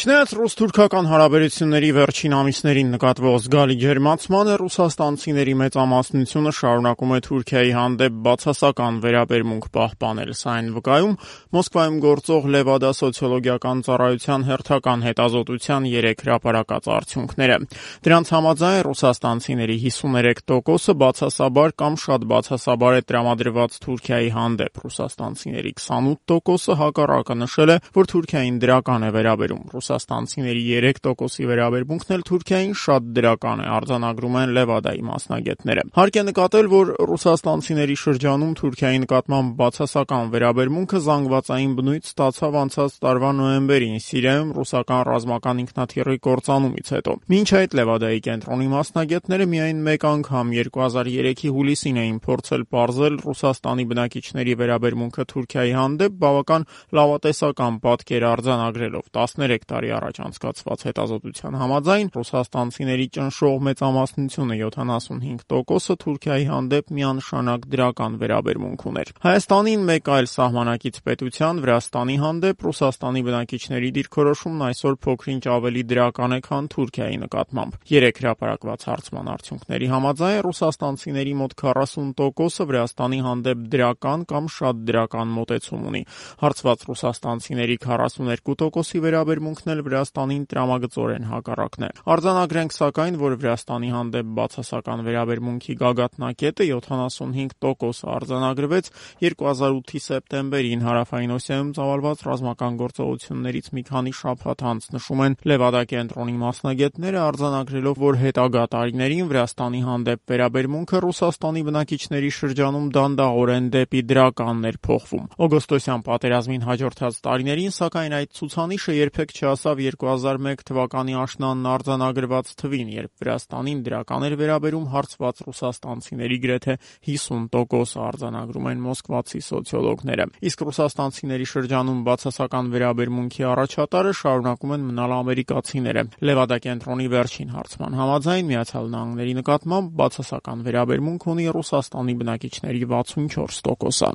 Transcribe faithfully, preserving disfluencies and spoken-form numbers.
Չնայած ռուս-թուրքական հարաբերությունների վերջին ամիսներին նկատվող զգալի ջերմացմանը, ռուսաստանցիների մեծամասնությունը շարունակում է Թուրքիայի հանդեպ բացասական վերաբերմունք պահպանել։ Սա այն վկայում Մոսկվայում գործող Լևադա սոցիոլոգիական ծառայության հերթական հետազոտության երեք հրապարակած արդյունքները։ Դրանց համաձայն ռուսաստանցիների հիսուներեք տոկոսը բացասաբար կամ շատ բացասաբար է տրամադրված Թուրքիայի հանդեպ։ Ռուսաստանցիների քսանութ տոկոսը հակառակը նշել է, որ Թուրքիային դրական է վերաբերում։ Ռուսաստանցիների երեք տոկոսի վերաբերմունքն էլ Թուրքիային շատ դրական է, արձանագրում են Լևադայի մասնագետները։ Հարկ է նկատել, որ ռուսաստանցիների շրջանում Թուրքիայի նկատմամբ բացասական վերաբերմունքը զանգվածային բնույթ ստացավ անցած տարվա նոյեմբերին Սիրիայում ռուսական ռազմական ինքնաթիռի կործանումից հետո։ Մինչ այդ Լևադայի կենտրոնի մասնագետները միայն մեկ անգամ երկու հազար երեքի հուլիսին էին փորձել պարզել Ռուսաստանի բնակիչների վերաբերմունքը Թուրքիայի հանդեպ բավական լավատեսական պատկեր արձանագրելով։ տասներեք տարի առաջ անցկացված հետազոտության համաձայն ռուսաստանցիների ճնշող մեծամասնությունը յոթանասունհինգ տոկոսը Թուրքիայի հանդեպ միանշանակ դրական վերաբերմունք ուներ։ Հայաստանին մեկ այլ սահմանակից պետության Վրաստանի հանդեպ Ռուսաստանի բնակիչների դիրքորոշումն այսօր փոքր-ինչ ավելի դրական է, քան Թուրքիայի նկատմամբ։ Երեք հրապարակված հարցման արդյունքների համաձայն ռուսաստանցիների մոտ քառասուն տոկոսը Վրաստանի հանդեպ դրական կամ շատ դրական մոտեցում ունի։ Հարցված ռուսաստանցիների քառասուներկու տոկոսի վերաբերմունքն էլ Վրաստանին տրամագծորեն հակառակն է։ Արձանագրենք սակայն, որ Վրաստանի հանդեպ բացասական վերաբերմունքի գագաթնակետը յոթանասունհինգ տոկոս արձանագրվեց երկու հազար ութի սեպտեմբերին Հարավային Օսիայում ծավալված ռազմական գործողություններից մի քանի շաբաթ անց, նշում են Լևադա կենտրոնի մասնագետները, արձանագրելով, որ հետագա տարիներին Վրաստանի հանդեպ վերաբերմունքը Ռուսաստանի բնակիչների շրջանում դանդաղորեն դեպի դրականն էր փոխվում։ Օգոստոսյան պատերազմին հաջորդած տարիներին, սակայն, այդ ցուցանիշը երբեք չհասավ երկու հազար մեկ թվականի աշնանն արձանագրված թվին, երբ Վրաստանին դրական էր վերաբերում հարցված ռուսաստանցիների գրեթե հիսուն տոկոսը, արձանագրում են մոսկվացի սոցիոլոգները։ Իսկ ռուսաստանցիների շրջանում բացասական վերաբերմունքի առաջատարը շարունակում են մնալ ամերիկացիները։ Լևադա կենտրոնի վերջին հարցման համաձայն Միացյալ Նահանգների նկատմամբ բացասական վերաբերմունք ունի Ռուսաստանի բնակիչների վաթսունչորս տոկոսը։